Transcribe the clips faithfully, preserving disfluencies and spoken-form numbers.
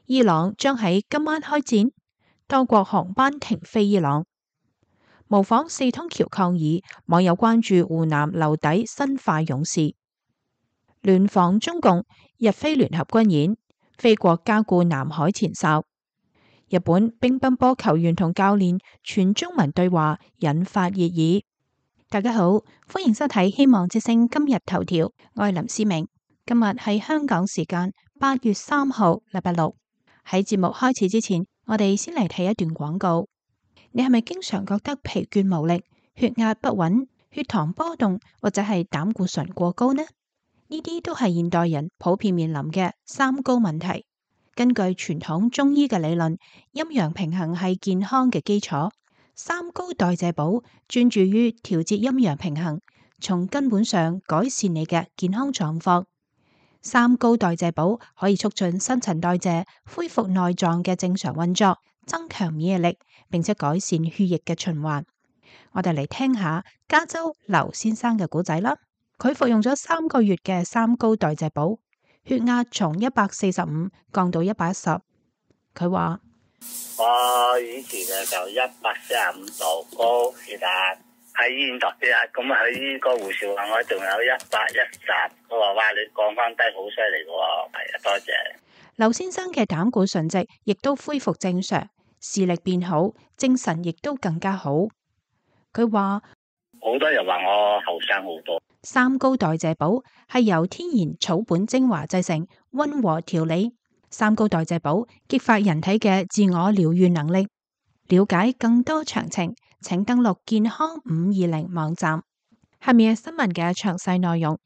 伊朗將喺今晚開戰，多國航班停飛伊朗。模仿四通橋抗議，網友關注湖南留底生化勇士。聯防中共，日菲聯合軍演，菲國加固南海前哨。日本乒乓波球員同教練全中文對話引發熱議。大家好，歡迎收睇希望之聲今日頭條，我係林思明。今日係香港時間八月三號，禮拜六。喺節目開始之前，我哋先嚟睇一段廣告。你係咪經常覺得疲倦無力、血壓不穩、血糖波動或者係膽固醇過高呢？呢啲都係現代人普遍面臨嘅三高問題。根據傳統中醫嘅理論，陰陽平衡係健康嘅基礎。三高代謝寶專注於調節陰陽平衡，從根本上改善你嘅健康狀況。三高代謝寶可以促進新陳代謝，恢復內臟嘅正常運作，增強免疫力，並且改善血液嘅循環。我哋嚟聽下加州劉先生嘅故仔啦。佢服用咗三個月嘅三高代謝寶，血壓從一百四十五降到一百一十。佢話：我以前嘅就一百四十五度高血壓，喺醫院度血壓，咁啊喺個護士話我仲有一百一十，佢話哇你降翻低好犀利喎，係啊，多謝。劉先生嘅膽固醇值亦都恢復正常，視力變好，精神亦都更加好。佢話好多人話我後生好多。三高代謝寶係由天然草本精華製成，溫和調理。三高代謝寶激發人體嘅自我療癒能力。了解更多詳情，請登錄健康五二零網站。下面係新聞嘅詳細內容。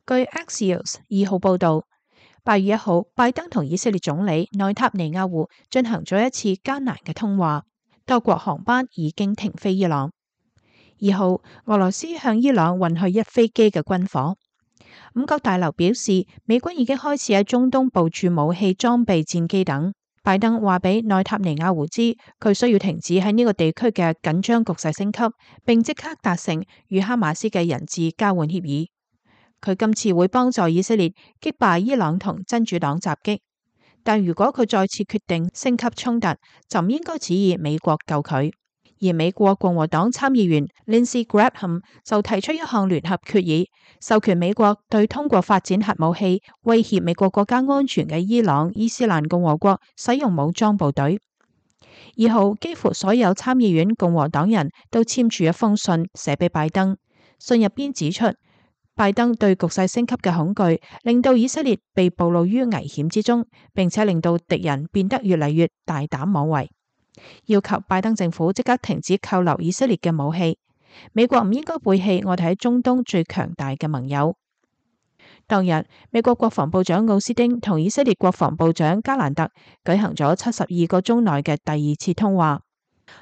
據 Axios 二號報道，八月一號，拜登同以色列總理內塔尼亞胡進行咗一次艱難嘅通話，多國航班已經停飛伊朗。二號，俄羅斯向伊朗運去一飛機嘅軍火。五角大樓表示，美軍已經開始喺中東部署武器裝備、戰機等。拜登話俾內塔尼亞胡知，佢需要停止喺呢個地區嘅緊張局勢升級，並即刻達成與哈馬斯嘅人質交換協議。佢今次會幫助以色列擊敗伊朗同真主黨襲擊，但如果佢再次決定升級衝突，就唔應該指意美國救佢。而美國共和黨參議員 Lindsey Graham 就提出一項聯合決議，授權美國對通過發展核武器威脅美國國家安全嘅伊朗伊斯蘭共和國使用武裝部隊。二號，幾乎所有參議院共和黨人都簽署一封信寫俾拜登，信入邊指出，拜登對局勢升級嘅恐懼令到以色列被暴露於危險之中，並且令到敵人變得越嚟越大膽妄為，要求拜登政府即刻停止扣留以色列嘅武器。美國唔應該背棄我哋喺中東最強大嘅盟友。當日，美國國防部長奧斯汀同以色列國防部長加蘭特舉行咗七十二個鐘內嘅第二次通話。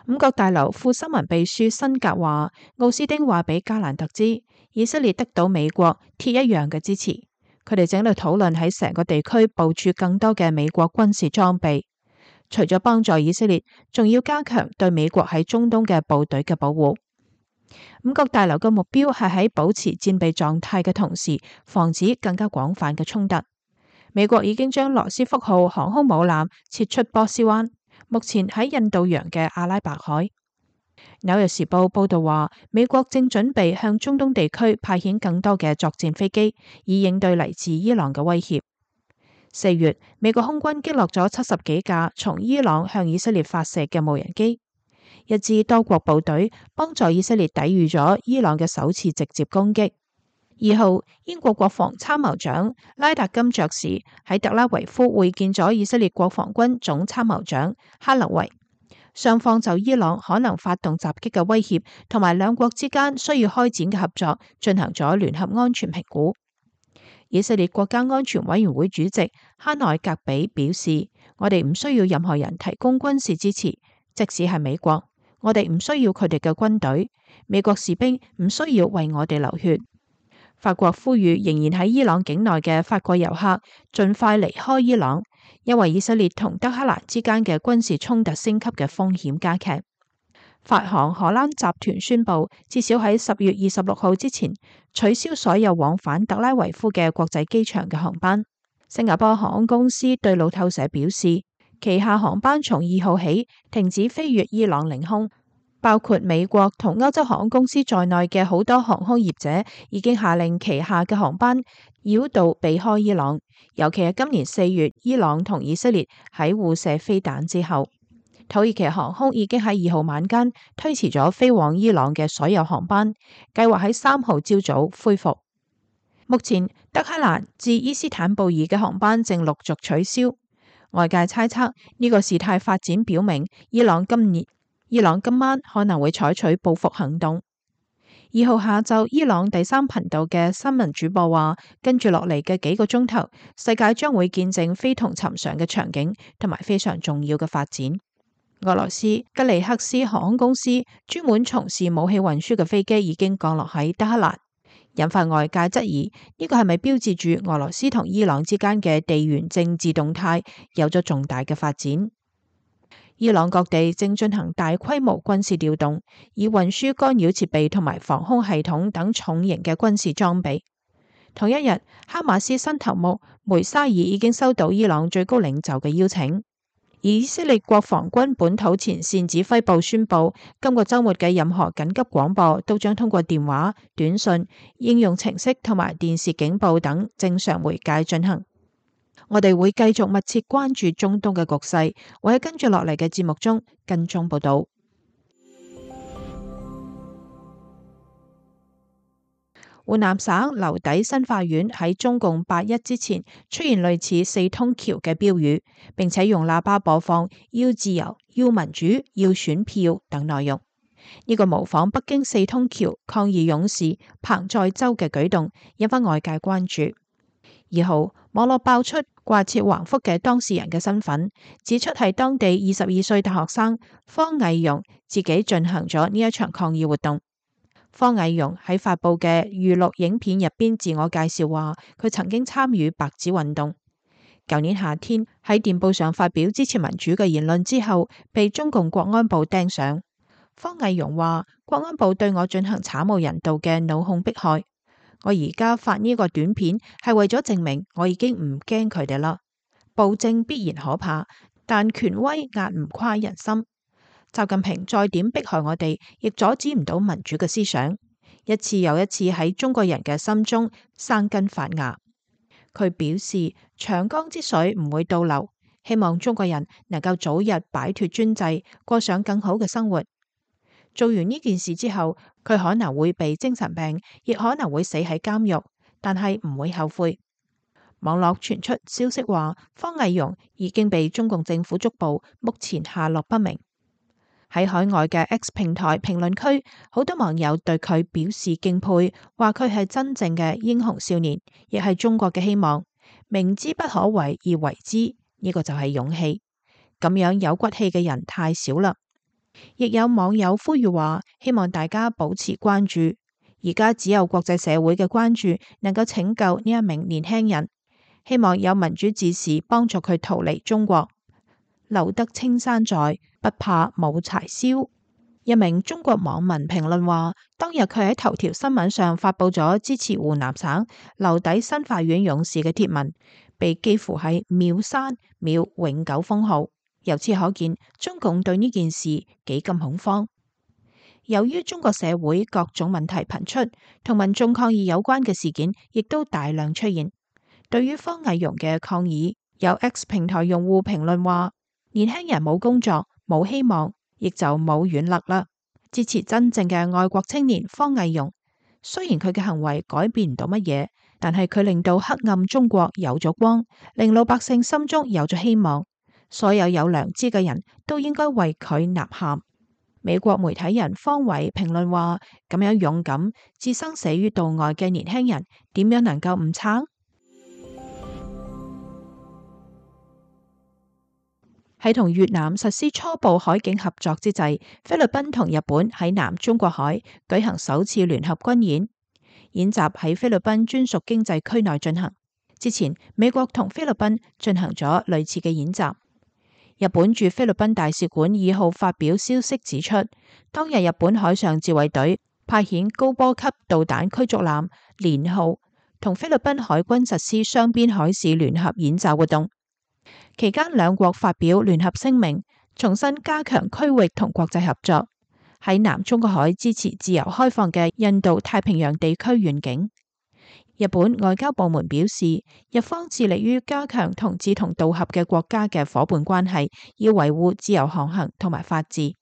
五角大樓副新聞秘書辛格話，奧斯汀話俾加蘭特知，以色列得到美國鐵一樣嘅支持，佢哋正喺度討論喺成個地區部署更多嘅美國軍事裝備。除咗幫助以色列，仲要加強對美國喺中東嘅部隊嘅保護。五角大樓嘅目標係喺保持戰備狀態嘅同時，防止更加廣泛嘅衝突。美國已經將羅斯福號航空母艦撤出波斯灣，目前喺印度洋嘅阿拉伯海。紐約時報報道話，美國正準備向中東地區派遣更多嘅作戰飛機，以應對嚟自伊朗嘅威脅。四月，美國空軍擊落咗七十幾架從伊朗向以色列發射嘅無人機。一支多國部隊幫助以色列抵禦咗伊朗嘅首次直接攻擊。二號，英國國防參謀長拉達金爵士喺特拉維夫會見咗以色列國防軍總參謀長哈勒維，雙方就伊朗可能發動襲擊嘅威脅同埋兩國之間需要開展嘅合作進行咗聯合安全評估。以色列國家安全委員會主席哈內格比表示，我哋唔需要任何人提供軍事支持，即使係美國，我哋唔需要佢哋嘅軍隊，美國士兵唔需要為我哋流血。法國呼籲仍然喺伊朗境內嘅法國遊客盡快離開伊朗，因為以色列同德黑蘭之間嘅軍事衝突升級嘅風險加劇。法航荷蘭集團宣布，至少喺十月二十六號之前取消所有往返特拉維夫嘅國際機場嘅航班。新加坡航空公司對路透社表示，旗下航班從二號起停止飛越伊朗領空，包括美國同歐洲航空公司在內嘅好多航空業者已經下令旗下嘅航班繞道避開伊朗，尤其係今年四月伊朗同以色列喺互射飛彈之後。土耳其航空已經喺二號晚間推遲咗飛往伊朗嘅所有航班，計劃喺三號朝早恢復。目前德黑蘭至伊斯坦布爾嘅航班正陸續取消，外界猜測呢個事態發展表明伊朗今年伊朗今晚可能會採取報復行動。二號下晝，伊朗第三頻道嘅新聞主播話，跟住落嚟嘅幾個鐘頭，世界將會見證非同尋常嘅場景同埋非常重要嘅發展。俄羅斯吉尼克斯航空公司專門從事武器運輸嘅飛機已經降落喺德黑蘭，引發外界質疑呢個係咪標誌住俄羅斯同伊朗之間嘅地緣政治動態有咗重大嘅發展。伊朗各地正進行大規模軍事調動，以運輸干擾設備同埋防空系統等重型嘅軍事裝備。同一日，哈馬斯新頭目梅沙爾已經收到伊朗最高領袖嘅邀請。以色列國防軍本土前線指揮部宣布，今個週末嘅任何緊急廣播都將通過電話、短信、應用程式同埋電視警報等正常媒介進行。我哋會繼續密切關注中東嘅局勢，會喺跟住落嚟嘅節目中跟蹤報道。湖南省娄底新法院喺中共八一之前出現類似四通橋嘅標語，並且用喇叭播放要自由、要民主、要選票等內容。呢個模仿北京四通橋抗議勇士彭載舟嘅舉動，引發外界關注。二號，網絡爆出掛設橫幅嘅當事人嘅身份，指出係當地二十二歲大學生方毅容自己進行咗呢一場抗議活動。方毅容喺發布嘅預錄影片入邊自我介紹話，佢曾經參與白紙運動。舊年夏天喺電報上發表支持民主嘅言論之後，被中共國安部盯上。方毅容話，國安部對我進行慘無人道嘅腦控迫害。我而家發呢個短片係為咗證明我已經唔驚佢哋啦。暴政必然可怕，但權威壓唔垮人心。習近平再點迫害我哋，亦阻止唔到民主嘅思想，一次又一次喺中國人嘅心中生根發芽。佢表示，長江之水唔會倒流，希望中國人能夠早日擺脫專制，過上更好嘅生活。做完呢件事之後，佢可能會被精神病，亦可能會死喺監獄，但係唔會後悔。網絡傳出消息話，方毅容已經被中共政府捉捕，目前下落不明。喺海外嘅 X 平台評論區，好多網友對佢表示敬佩，話佢係真正嘅英雄少年，亦係中國嘅希望。明知不可為而為之，呢個就係勇氣。咁樣有骨氣嘅人太少啦。亦有網友呼籲話，希望大家保持關注。而家只有國際社會嘅關注能夠拯救呢一名年輕人。希望有民主志士幫助佢逃離中國。留得青山在，不怕冇柴燒。一名中國網民評論話，當日佢喺頭條新聞上發佈咗支持湖南省娄底新法院勇士嘅貼文，被幾乎係秒刪秒永久封號。由此可見，中共對呢件事幾咁恐慌。由於中國社會各種問題頻出，同民眾抗議有關嘅事件亦都大量出現。對於方毅容嘅抗議，有 X 平台用戶評論話，年輕人冇工作冇希望，亦就冇軟肋啦。支持真正嘅愛國青年方毅容，雖然佢嘅行為改變唔到乜嘢，但係佢令到黑暗中國有咗光，令老百姓心中有咗希望。所有有良知嘅人都應該為佢吶喊。美國媒體人方偉評論話，咁樣勇敢置生死於度外嘅年輕人，點樣能夠唔撐？喺同越南實施初步海警合作之際，菲律賓同日本喺南中國海舉行首次聯合軍演。演習喺菲律賓專屬經濟區內進行。之前，美國同菲律賓進行咗類似嘅演習。日本駐菲律賓大使館二號發表消息指出，當日日本海上自衛隊派遣高波級導彈驅逐艦連號同菲律賓海軍實施雙邊海事聯合演習活動，期間兩國發表聯合聲明，重新加強區域同國際合作，喺南中國海支持自由開放嘅印度太平洋地區願景。日本外交部門表示，日方致力於加強同志同道合嘅國家嘅夥伴關係，以維護自由航行同埋法治。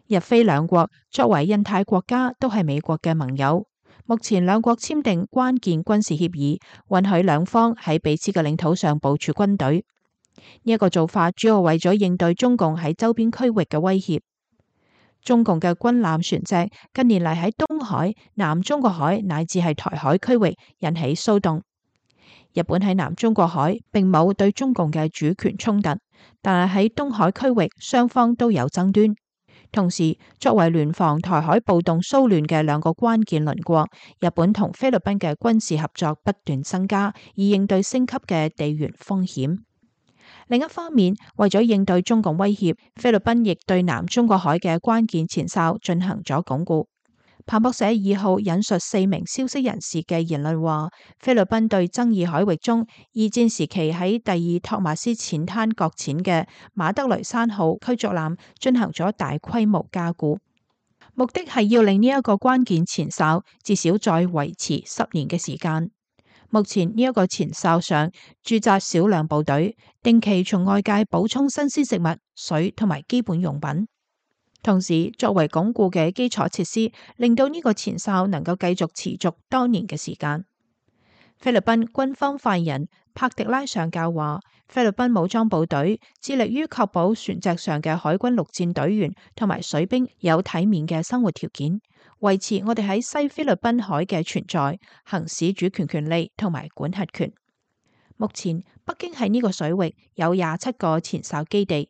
日菲兩國作為印太國家，都係美國嘅盟友。目前兩國簽訂關鍵軍事協議，允許兩方喺彼此嘅領土上部署軍隊。呢一個做法主要為咗應對中共喺周邊區域嘅威脅。中共嘅軍艦船隻近年嚟喺東海、南中國海乃至係台海區域引起騷動。日本喺南中國海並冇對中共嘅主權衝突，但係喺東海區域雙方都有爭端。同時，作為聯防台海暴動騷亂嘅兩個關鍵鄰國，日本同菲律賓嘅軍事合作不斷增加，以應對升級嘅地緣風險。另一方面，為咗應對中共威脅，菲律賓亦對南中國海嘅關鍵前哨進行咗鞏固。彭博社二號引述四名消息人士嘅言論話，菲律賓對爭議海域中二戰時期喺第二托馬斯淺灘擱淺嘅馬德雷山號驅逐艦進行咗大規模加固，目的係要令呢一個關鍵前哨至少再維持十年嘅時間。目前呢一個前哨上駐紮少量部隊，定期從外界補充新鮮食物、水同埋基本用品。同時，作為鞏固嘅基礎設施，令到呢個前哨能夠繼續持續多年嘅時間。菲律賓軍方發言人帕迪拉上校話，菲律賓武裝部隊致力於確保船隻上嘅海軍陸戰隊員同埋水兵有體面嘅生活條件，維持我哋喺西菲律賓海嘅存在、行使主權權利同埋管轄權。目前，北京喺呢個水域有廿七個前哨基地。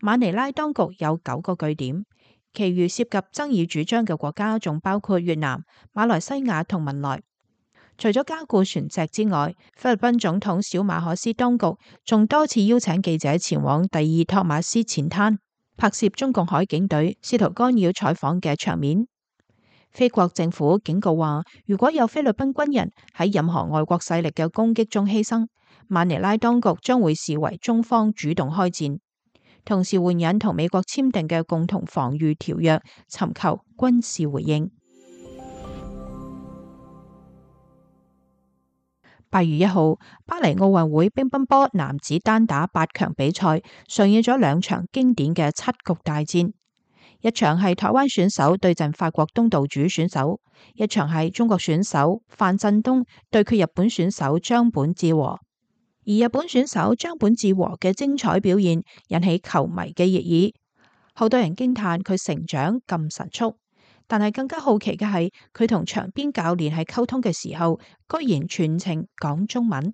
馬尼拉當局有九個據點，其餘涉及爭議主張嘅國家仲包括越南、馬來西亞同文萊。除咗加固船隻之外，菲律賓總統小馬可斯當局仲多次邀請記者前往第二托馬斯淺灘，拍攝中共海警隊試圖干擾採訪嘅場面。菲國政府警告話，如果有菲律賓軍人喺任何外國勢力嘅攻擊中犧牲，馬尼拉當局將會視為中方主動開戰。同時援引同美國簽訂嘅共同防禦條約，尋求軍事回應。八月一號，巴黎奧運會乒乓波男子單打八強比賽上演咗兩場經典嘅七局大戰，一場係台灣選手對陣法國東道主選手，一場係中國選手范振東對決日本選手張本智和。而日本選手張本智和嘅精彩表現引起球迷嘅熱議，好多人驚嘆佢成長咁神速，但係更加好奇嘅係佢同場邊教練喺溝通嘅時候，居然全程講中文。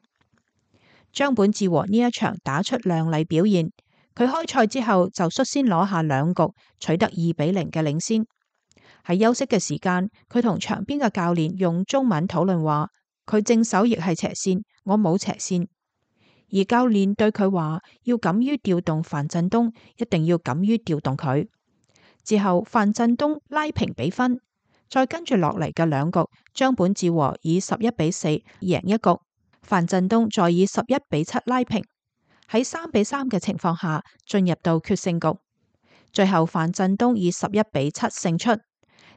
張本智和呢一場打出亮麗表現，佢開賽之後就率先攞下兩局，取得二比零嘅領先。喺休息嘅時間，佢同場邊嘅教練用中文討論話，佢正手亦係斜線，我冇斜線。而教練對佢話，要敢於調動范振東，一定要敢於調動佢。之後范振東拉平比分，再跟住落嚟嘅兩局，張本智和以十一比四贏一局，范振東再以十一比七拉平。喺三比三嘅情況下進入到決勝局，最後范振東以十一比七勝出。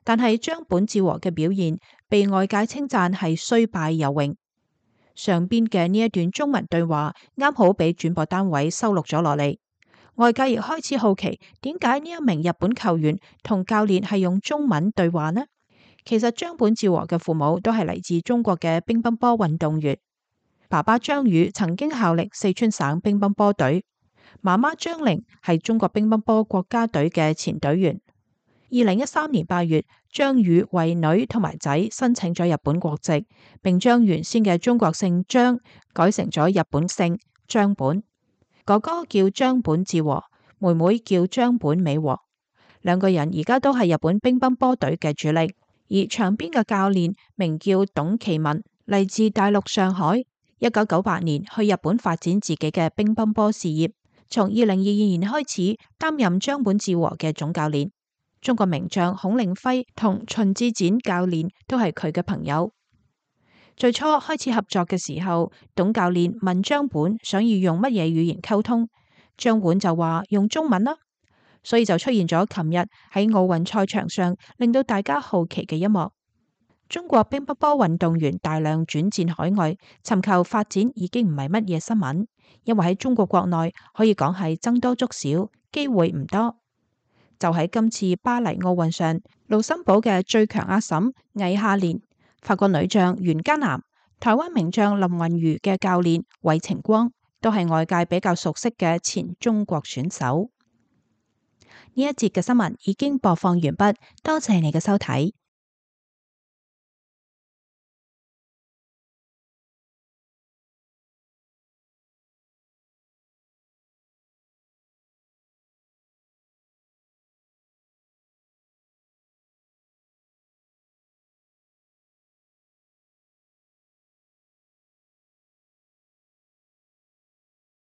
但係張本智和嘅表現被外界稱讚係雖敗猶榮。上邊嘅呢一段中文對話啱好俾轉播單位收錄咗落嚟，外界亦開始好奇點解呢一名日本球員同教練係用中文對話呢？其實張本智和嘅父母都係嚟自中國嘅乒乓波運動員，爸爸張宇曾經效力四川省乒乓波隊，媽媽張玲係中國乒乓波國家隊嘅前隊員。二零一三年八月，張宇為女同埋仔申請咗日本國籍，並將原先嘅中國姓張改成咗日本姓張本。哥哥叫張本智和，妹妹叫張本美和。兩個人而家都係日本乒乓波隊嘅主力。而場邊嘅教練名叫董其文，嚟自大陸上海，一九九八年去日本發展自己嘅乒乓波事業，從二零二二年開始擔任張本智和嘅總教練。中國名將孔令輝同秦志濺教練都係佢嘅朋友。最初開始合作嘅時候，董教練問張本想要用乜嘢語言溝通，張本就話用中文啦，所以就出現咗琴日喺奧運賽場上令到大家好奇嘅一幕。中國乒乓波運動員大量轉戰海外，尋求發展已經唔係乜嘢新聞，因為喺中國國內可以講係僧多粥少，機會唔多。就喺今次巴黎奧運上，盧森堡嘅最強阿嬸魏夏蓮、法國女將袁嘉楠、台灣名將林昀儒嘅教練韋晴光，都係外界比較熟悉嘅前中國選手。呢一節嘅新聞已經播放完畢，多謝你嘅收睇。